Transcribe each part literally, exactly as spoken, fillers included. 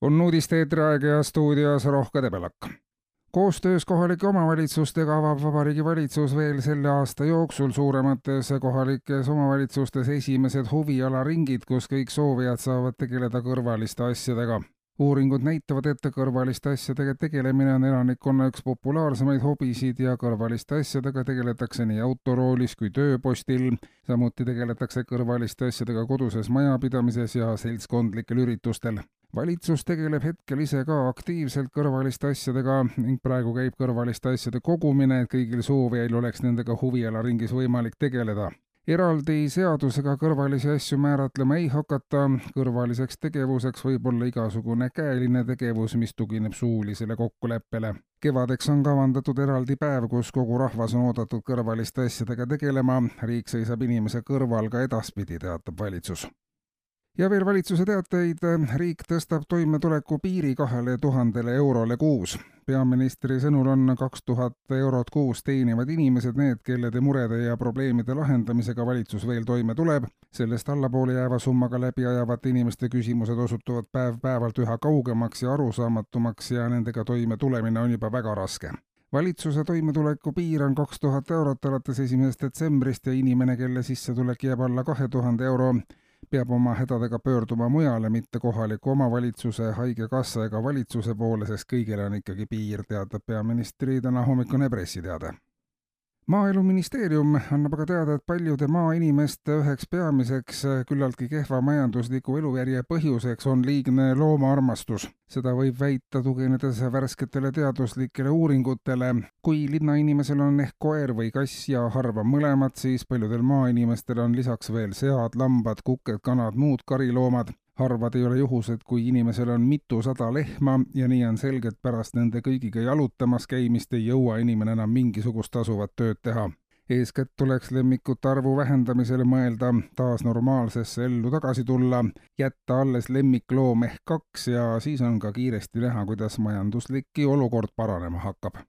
On uudiste eetriaeg ja stuudios Rohke Debelak. Koostöös kohalike omavalitsustega avab Vabariigi Valitsus veel selle aasta jooksul suuremates kohalikes omavalitsustes esimesed huvialaringid, kus kõik soovijad saavad tegeleda kõrvaliste asjadega. Uuringud näitavad, et kõrvaliste asjadega tegelemine on elanikkonna üks populaarsemaid hobisid ja kõrvaliste asjadega tegeletakse nii autoroolis kui tööpostil. Samuti tegeletakse kõrvaliste asjadega koduses majapidamises ja seltskondlikel üritustel. Valitsus tegeleb hetkel ise ka aktiivselt kõrvaliste asjadega ning praegu käib kõrvaliste asjade kogumine, et kõigil soovijail oleks nendega huvialaringis võimalik tegeleda. Eraldi seadusega kõrvalisi asju määratlema ei hakata, kõrvaliseks tegevuseks võib olla igasugune käeline tegevus, mis tugineb suulisele kokkuleppele. Kevadeks on kavandatud eraldi päev, kus kogu rahvas on oodatud kõrvaliste asjadega tegelema. Riik seisab inimese kõrval ka edaspidi, teatab valitsus. Ja veel valitsuse teateid, riik tõstab toimetuleku piiri kahele tuhandele eurole kuus. Peaministri sõnul on kaks tuhat eurot kuus teenivad inimesed need, kellede murede ja probleemide lahendamisega valitsus veel toime tuleb. Sellest allapoole jääva summaga läbi ajavate inimeste küsimused osutuvad päev-päevalt üha kaugemaks ja arusaamatumaks ja nendega toime tulemine on juba väga raske. Valitsuse toimetuleku piir on kaks tuhat eurot alates esimesest detsembrist ja inimene, kelle sissetulek jääb alla kahe tuhande euro, peab oma hädadega pöörduma mujale, mitte kohaliku omavalitsuse, haigekassa ega valitsuse poole, sest kõigile on ikkagi piir, teatab peaministri täna hommikune pressiteade. Maaeluministeerium annab aga teada, et paljude maainimeste üheks peamiseks küllaltki kehva majandusliku elujärje põhjuseks on liigne loomaarmastus. Seda võib väita tuginedes värsketele teaduslikele uuringutele. Kui linnainimesel on ehk koer või kass ja harva mõlemad, siis paljudel maainimestel on lisaks veel sead, lambad, kuked, kanad, muud kariloomad. Harvad ei ole juhused, kui inimesel on mitusada lehma ja nii on selgelt pärast nende kõigiga jalutamas käimist ei jõua inimene enam mingisugust tasuvat tööd teha. Eeskätt tuleks lemmikute arvu vähendamisele mõelda, taas normaalsesse ellu tagasi tulla, jätta alles lemmikloom ehk kaks ja siis on ka kiiresti näha, kuidas majandusliki olukord paranema hakkab.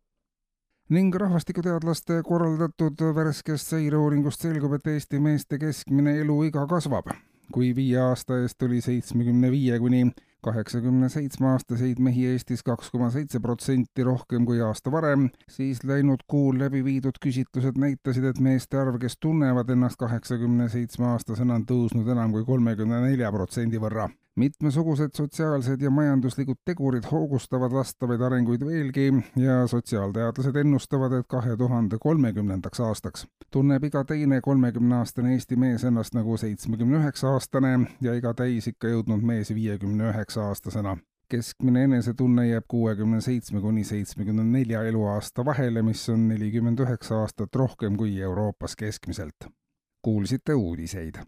Ning rahvastikuteadlaste korraldatud värskest seireuuringust selgub, et Eesti meeste keskmine eluiga kasvab. Kui viie aasta eest oli seitsmekümne viie kuni kaheksakümne seitsme aastaseid mehi Eestis kaks koma seitse protsenti rohkem kui aasta varem, siis läinud kuul läbi viidud küsitlused näitasid, et meeste arv, kes tunnevad ennast kaheksakümne seitsme aastasena, on tõusnud enam kui kolmekümne nelja protsendi võrra. Mitmesugused sotsiaalsed ja majanduslikud tegurid hoogustavad vastavaid arenguid veelgi ja sotsiaalteadlased ennustavad, et kahe tuhande kolmekümnendaks aastaks tunneb iga teine kolmekümneaastane Eesti mees ennast nagu seitsmekümne üheksa aastane ja iga täis ikka jõudnud mees viiekümne üheksa aastasena. Keskmine enesetunne jääb kuuekümne seitsme kuni seitsmekümne nelja eluaasta vahele, mis on nelikümmend üheksa aastat rohkem kui Euroopas keskmiselt. Kuulsite uudiseid.